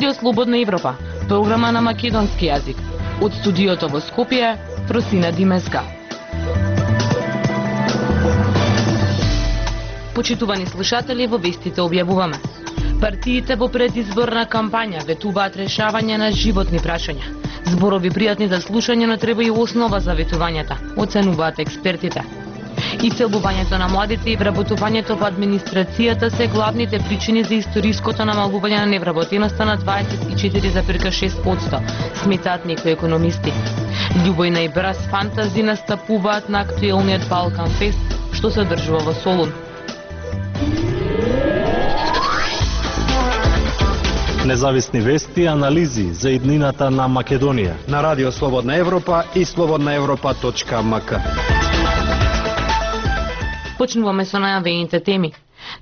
Радио Слободна Европа, програма на македонски јазик. Од студиото во Скопје, Просина Димеска. Почитувани слушатели, во вестите објавуваме. Партиите во предизборна кампања ветуваат решавање на животни прашања. Зборови пријатни за слушање, но треба и основа за ветувањата, оценуваат експертите. Исселувањето на младите и вработувањето во администрацијата се главните причини за историското намалување на невработеноста на 24,6%, сметаат некои економисти. Љубојна и браз фантази настапуваат на актуелниот Балкан Фест, што се одржува во Солун. Независни вести и анализи за иднината на Македонија на Радио Слободна Европа и slobodnaevropa.mk. Почнуваме со најавените теми.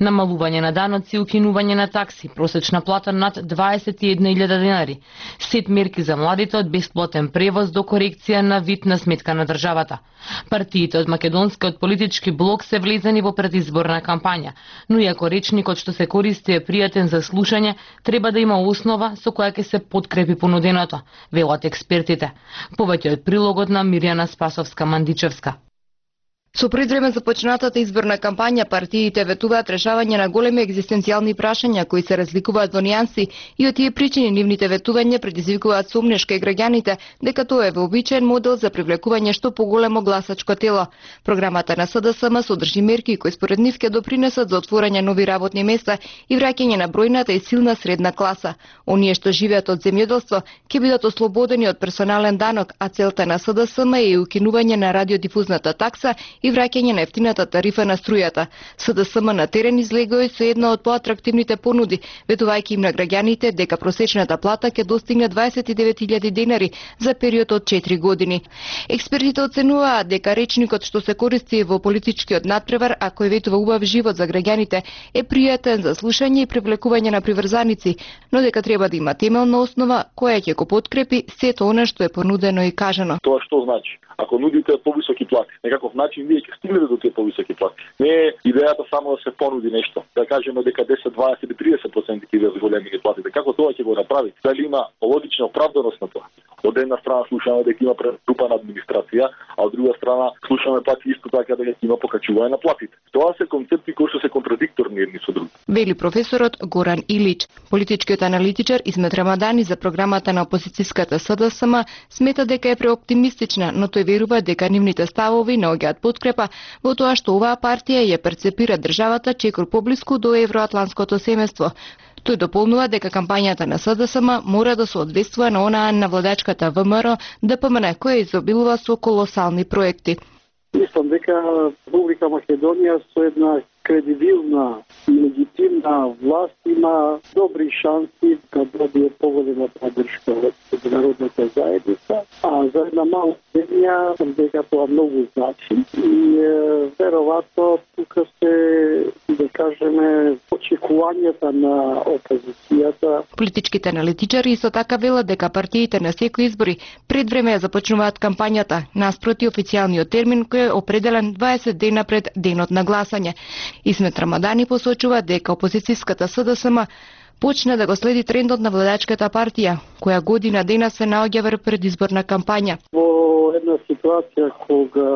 Намалување на даноци, укинување на такси, просечна плата над 21.000 денари, сет мерки за младите од бесплатен превоз до корекција на вид на сметка на државата. Партиите од македонскиот политички блок се влезени во предизборна кампања, но иако речникот што се користи е пријатен за слушање, треба да има основа со која ќе се подкрепи понуденото, велат експертите. Повеќе од прилогот на Мирјана Спасовска-Мандичевска. Со предвреме започнатата изборна кампања, партиите ветуваат решавање на големи екзистенцијални прашања кои се разликуваат во нијанси и од тие причини нивните ветувања предизвикуваат сомнеш кај граѓаните дека тоа е вообичаен модел за привлекување што поголемо гласачко тело. Програмата на СДСМ содржи мерки кои според нив ќе допринесат за отворање нови работни места и враќање на бројната и силна средна класа. Оние што живеат од земјоделство ќе бидат ослободени од персонален данок, а целта на СДСМ е и укинување на радиодифузната такса и враќање на ефтината тарифа на струјата. СДСМ на терен излегои со една од поатрактивните понуди, ветувајќи им на граѓаните дека просечната плата ќе достигне 29.000 денари за период од 4 години. Експертите оценуваат дека речникот што се користи во политичкиот надпревар, а кој ветува убав живот за граѓаните, е пријатен за слушање и привлекување на приврзаници, но дека треба да има темелна основа која ќе го подкрепи сето она што е понудено и кажано. Тоа што значи? Ако нудите повисоки плати, некаков начин вие ќе стигнете до тие повисоки плати. Не е идејата само да се понуди нешто. Да кажеме дека 10, 20 или 30% ќе бидат зголемени платите. Како тоа ќе го направи? Дали има логична оправданост на тоа? Од една страна слушаме дека има претрупана администрација, а од друга страна слушаме пак исто така дека има покачување на платите. Тоа се концепти кои што се контрадикторни едни со други. Вели професорот Горан Илич. Политичкиот аналитичар Исмет Рамадани за програмата на опозицијската СДСМ смета дека е преоптимистична, но тој верува дека нивните ставови наоѓаат подкрепа во тоа што оваа партија ја перцепира државата чекор поблиску до евроатлантското семејство. Тој дополнува дека кампањата на СДСМ мора да се одвестува на онаа на владачката ВМРО ДПМН која изобилува со колосални проекти. Мислам дека Република Македонија со една кредибилна и легитимна власт има добри шанси да добие поголема поддршка од меѓународната заедница, а за една мала земја дека тоа многу значи и веројатно тука се, да кажеме, очекувањата на опозицијата. Политичките аналитичари исто така велат дека партиите на секои избори пред време ја започнуваат кампањата, наспроти официјалниот термин кој е определен 20 дена пред денот на гласање. Исмет Рамадани посочува дека опозицијската СДСМ почна да го следи трендот на владачката партија, која година дена се наоѓа во предизборна кампања. Во една ситуација кога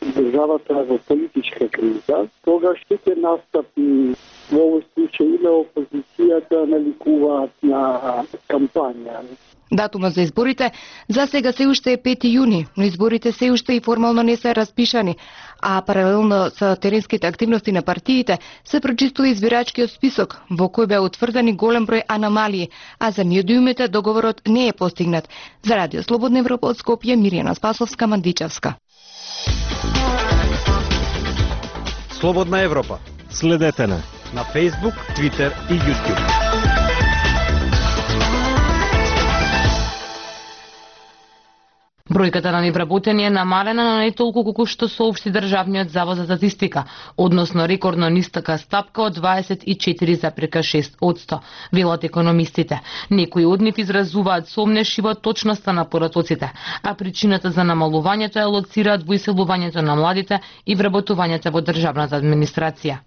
државата е во политичка криза, тогаш ќе настапи во овој случај и на опозицијата наликуваат на кампања. Датумот за изборите за сега се уште е 5 јуни, но изборите се уште и формално не се распишани, а паралелно со теренските активности на партиите се прочистува избирачкиот список, во кој беа утврдени голем број аномалии, а за неодиумите договорот не е постигнат. За Радио Слободна Европа од Скопје, Мирјана Спасовска-Мандичевска. Слободна Европа. Следете на Facebook, Twitter и YouTube. Бројката на невработени е намалена, но не толку колку што соопшти Државниот завод за статистика, односно рекордно ниска стапка од 24,6%, велат економистите. Некои од нив изразуваат сомнеш и во точноста на поратоците, а причината за намалувањето ја лоцираат во иселувањето на младите и вработувањето во државната администрација.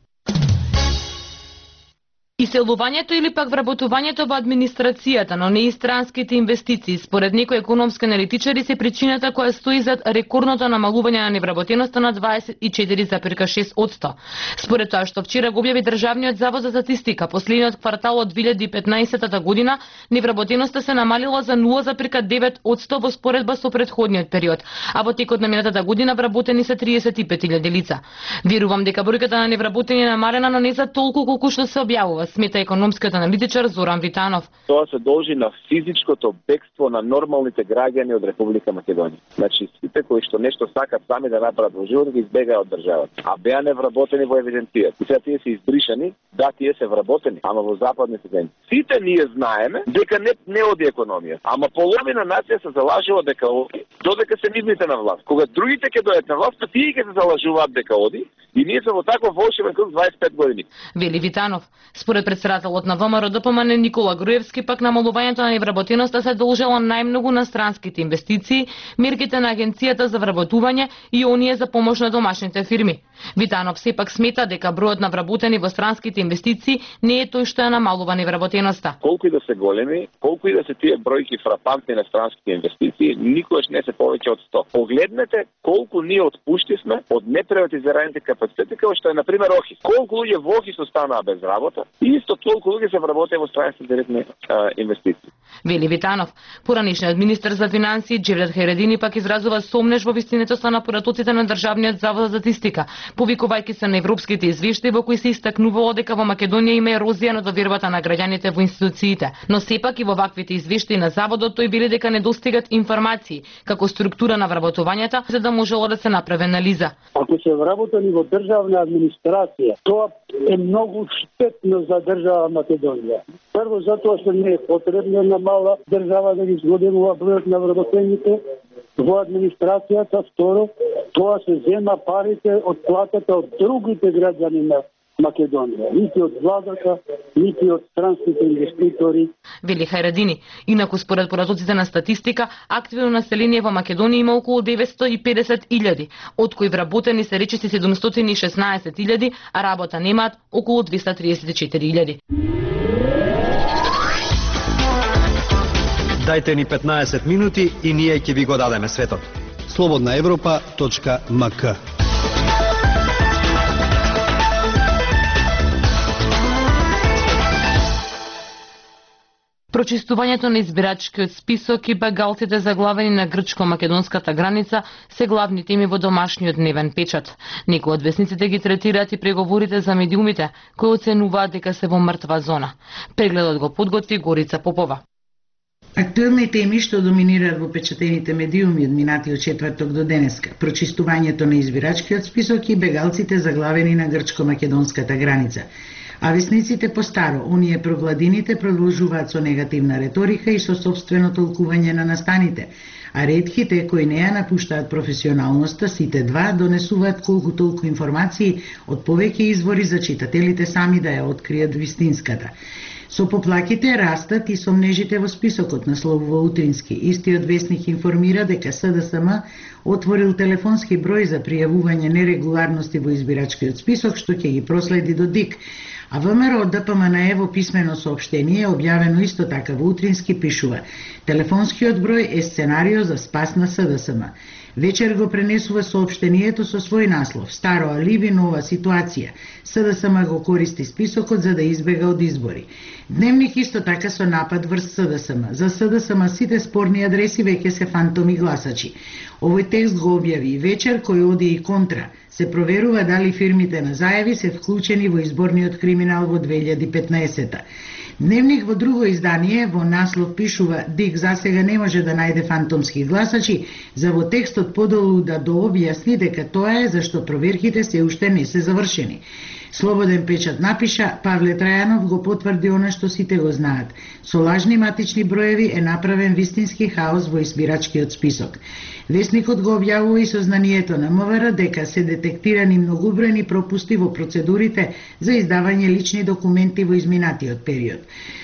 Иселувањето или пак вработувањето во администрацијата, но не и странските инвестиции, според некои економски аналитичари се причината која стои зад рекордното намалување на невработеноста на 24,6%. Според тоа што вчера го објави Државниот завод за статистика, последниот квартал од 2015 година невработеноста се намалила за 0,9% во споредба со претходниот период, а во текот на минатата година вработени се 35.000 лица. Верувам дека бројката на невработени е намалена, но не за толку колку што се објавува, смета економскиот аналитичар Зоран Витанов. Тоа се должи на физичкото бегство на нормалните граѓани од Република Македонија. Значи, сите кои што нешто сакат сами да направат во животот, ги избегаат од државата. А беа невработени во евиденцијата. И сега тие се избришани, да, тие се вработени, ама во западните земји. Сите ние знаеме дека не оди економија. Ама половина нација се залажува дека оди, додека се нивните на власт. Кога другите ќе дојдат на власт, тие ќе се залажуваат дека оди, и ние се во таков волшебен круг 25 години. Вели Витанов. Според председателот на ВМРО ДПМН Никола Груевски, пак намалувањето на невработеноста се должело најмногу на странските инвестиции, мерките на агенцијата за вработување и оние за помош на домашните фирми. Витанов сепак смета дека бројот на вработени во странските инвестиции не е тој што ја намалува невработеноста. Колку и да се големи, колку и да се тие бројки фрапантни на странските инвестиции, никогаш не се повеќе од 100. Погледнете колку ние отпуштивме од неприватизираните капацитети, како што е на пример Охис. Колку луѓе во Охис останаа без работа и исто толку луѓе се вработени во странските директни инвестиции. Вели Витанов. Поранишниот министер за финансии Джевдет Хајредини пак изразува сомнеж во вистинитоста на поратоците на Државниот завод за статистика, повикувајќи се на европските извештаи во кои се истакнувало дека во Македонија има ерозија на довербата на граѓаните во институциите. Но сепак и во ваквите извештаи на заводот тој вели дека недостигат информации како структура на вработувањата за да можело да се направи анализа. Ако се вработени во државна администрација, тоа е многу штетно за држава Македонија. Прво затоа што не е потребно на мала држава да ги зголемува бројот на вработените во администрацијата. Второ, тоа се зема парите од платата од другите граѓани на Македонија, нити од владата, нити од странските инвеститори. Вели Хајредини. Инаку според поратоците на статистика, активно население во Македонија има околу 950.000, од кои вработени се речиси 716.000, а работа немаат околу 234.000. Дајте ни 15 минути и ние ќе ви го дадеме светот. slobodnaevropa.mk. Прочистувањето на избирачкиот список и бегалците заглавени на грчко-македонската граница се главни теми во домашниот дневен печат. Некои од весниците ги третираат и преговорите за медиумите, кои оценуваат дека се во мртва зона. Прегледот го подготви Горица Попова. Актуелни теми што доминираат во печатените медиуми од минатиот четврток до денеска: прочистувањето на избирачкиот список и бегалците заглавени на грчко-македонската граница. А весниците постаро, оние прогладините, продолжуваат со негативна реторика и со собствено толкување на настаните, а ретките кои не ја напуштаат професионалноста, сите два донесуваат колку толку информации од повеќе извори за читателите сами да ја откријат вистинската. Со поплаките растат и сомнежите во списокот, насловува Утрински. Истиот весник информира дека СДСМ отворил телефонски број за пријавување нерегуларности во избирачкиот список, што ќе ги проследи до ДИК. А ВМРО ДПМН во писмено соопштение, објавено исто така во Утрински, пишува: телефонскиот број е сценарио за спас на СДСМ. Вечер го пренесува соопштението со свој наслов: старо алиби, нова ситуација. СДСМ го користи списокот за да избега од избори. Дневник исто така со напад врз СДСМ. За СДСМ сите спорни адреси веќе се фантоми гласачи. Овој текст го објави и Вечер, кој оди и контра. Се проверува дали фирмите на зајави се вклучени во изборниот криминал во 2015-та. Дневник во друго издание во наслов пишува: ДИК засега не може да најде фантомски гласачи, за во текстот подолу да дообјасни дека тоа е зашто проверките се уште не се завршени. Слободен печат напиша: Павле Трајанов го потврди она што сите го знаат. Со лажни матични броеви е направен вистински хаос во избирачкиот список. Весникот го објавува и сознанието на МВР дека се детектирани многобројни пропусти во процедурите за издавање лични документи во изминатиот период.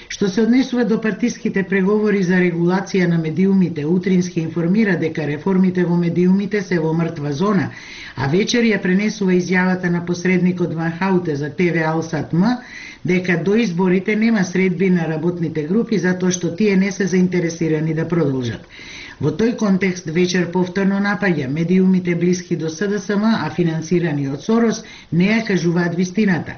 Што се однесува до партиските преговори за регулација на медиумите, Утрински информира дека реформите во медиумите се во мртва зона, а вечер ја пренесува изјавата на посредникот Ван Хауте за ТВ Алсат М, дека до изборите нема средби на работните групи затоа што тие не се заинтересирани да продолжат. Во тој контекст вечер повторно напаѓа медиумите блиски до СДСМ, а финансирани од Сорос, не ја кажуваат вистината.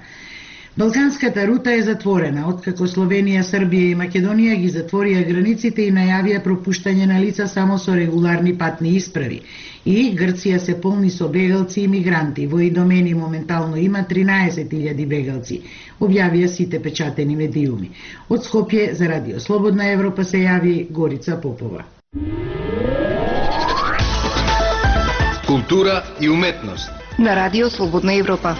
Балканската рута е затворена, откако Словенија, Србија и Македонија ги затворија границите и најавија пропуштање на лица само со регуларни патни исправи. И Грција се полни со бегалци и мигранти. Во Идомени моментално има 13.000 бегалци, објавија сите печатени медиуми. Од Скопје за Радио Слободна Европа се јави Горица Попова. Култура и уметност На Радио Слободна Европа.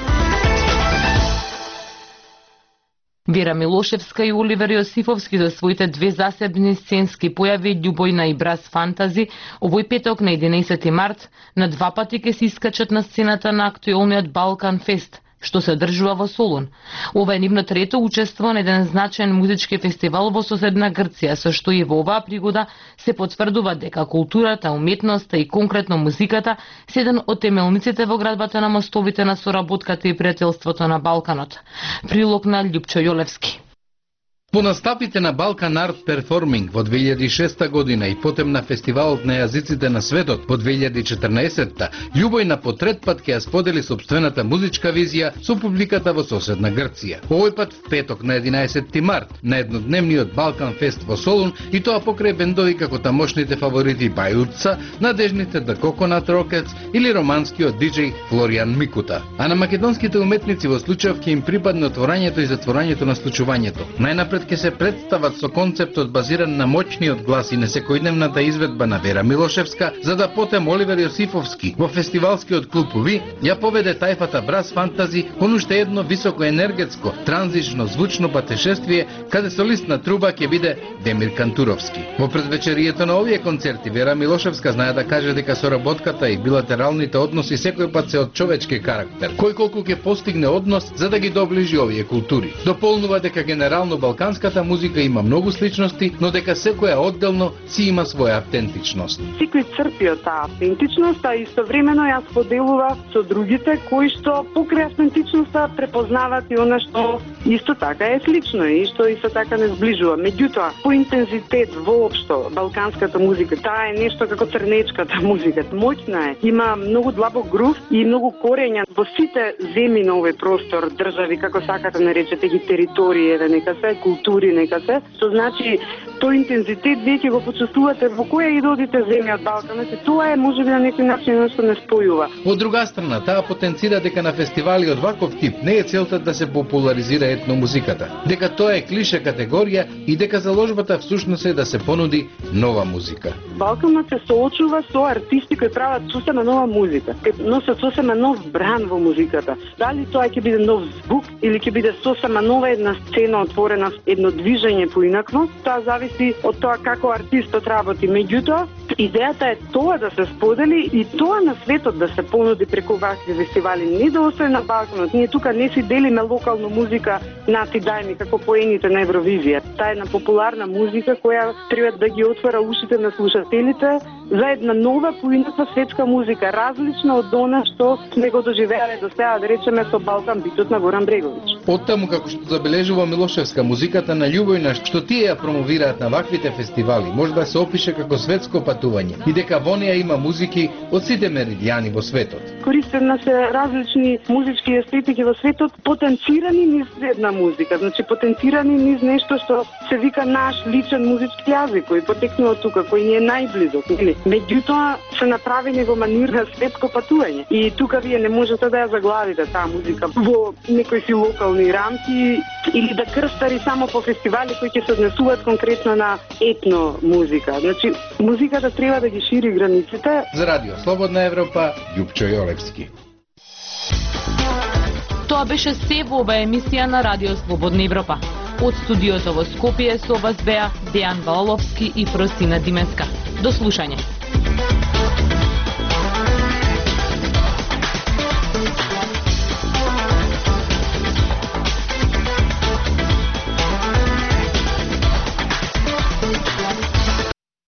Вера Милошевска и Оливер Јосифовски за своите две засебни сценски појави Љубојна и Брас Фантази овој петок на 11 март на два пати ќе се искачат на сцената на актуелниот Балкан Фест, што се одржува во Солун. Ова е нивно трето учество на еден значаен музички фестивал во соседна Грција, со што и во оваа пригода се потврдува дека културата, уметноста и конкретно музиката се еден од темелниците во градбата на мостовите на соработката и пријателството на Балканот. Прилог на Љупчо Јолевски. По настапите на Балкан Арт Перформинг во 2006 година и потем на фестивалот на јазиците на светот во 2014-та, Љубојна по трет пат ќе ја сподели сопствената музичка визија со публиката во соседна Грција. Овој пат в петок на 11 март на еднодневниот Балкан Фест во Солун, и тоа покрај бендови како тамошните фаворити Бајурца, надежните The Coconut Rockets или романскиот диџеј Флоријан Микута. А на македонските уметници во случајов ќе им припадне отворањето и затворањето на случувањето. Најнапред ќе се представат со концептот базиран на моćниот глас и несекојдневната изведба на Вера Милошевска, за да потем Оливер Јосифовски во фестивалскиот клуб Уви ја поведе тајфата Брас Фантази кон уште едно високо енергетско, транзично звучно патешествие, каде солист на труба ќе биде Демир Кантуровски. Во предвечерието на овие концерти Вера Милошевска знае да каже дека соработката и билатералните односи секој пат се од човечки карактер, кој колку ќе постигне однос за да ги доближи овие култури. Дополнува дека генерално балканската музика има многу сличности, но дека секоја одделно си има своја автентичност. Секој црпи од таа автентичност, а истовремено ја споделува со другите кои што покрај автентичноста препознаваат и она што исто така е слично и што исто така не сближува. Меѓутоа, по интензитет воопшто балканската музика, таа е нешто како црнечката музика. Моќна е, има многу длабок грув и многу корења во сите земји на овој простор, држави, како сакате наречете ги територии, нека се култури, нека се. Што значи тој интензитет веќе го почувствувате во која и додите земја од Балканот, и тоа е можеби на некој начин нешто не спојува. Од друга страна, таа потенцира дека на фестивали од ваков тип не е целта да се популаризира етномузиката, дека тоа е клише категорија и дека заложбата всушност е да се понуди нова музика. Балканот се соочува со артисти кои прават сосема нова музика, носат сосема нов бран во музиката. Дали тоа ќе биде нов звук или ќе биде сосема нова една сцена отворена, едно движење поинакво, тоа зависи од тоа како артистот работи. Меѓутоа, идејата е тоа да се сподели и тоа на светот да се понуди преку вакви фестивали, не да остане на Балканот. Ние тука не си делиме локална музика на ти дајми како поените на Евровизија. Таа е една популарна музика која треба да ги отвора ушите на слушателите за една нова поинаква светска музика, различна од она што сме го доживеале до сега, да речеме со Балкан битот на Горан Бреговиќ. Оттаму како што забележува Милошевска, музиката на Љубојна што тие ја промовираат на ваквите фестивали може да се опише како светско патување и дека во неа има музики од сите меридијани во светот. Користена се различни музички естетики во светот, потенцирани низ една музика, значи потенцирани низ нешто што се вика наш личен музички јазик, кој потекнува тука, кој ни е најблизок, нели? Меѓутоа се направени во манир на светско патување. И тука вие не можете да ја заглавите таа музика во некои си локални рамки или да крстари само по фестивали кои ќе се однесуваат конкретно на етно музика. Значи, музиката треба да ги шири границите. За Радио Слободна Европа, Љупчо Јолевски. Тоа беше се во оваа емисија на Радио Слободна Европа. Од студиото во Скопје со вас беа Дејан Балаловски и Просина Дименска. До слушање.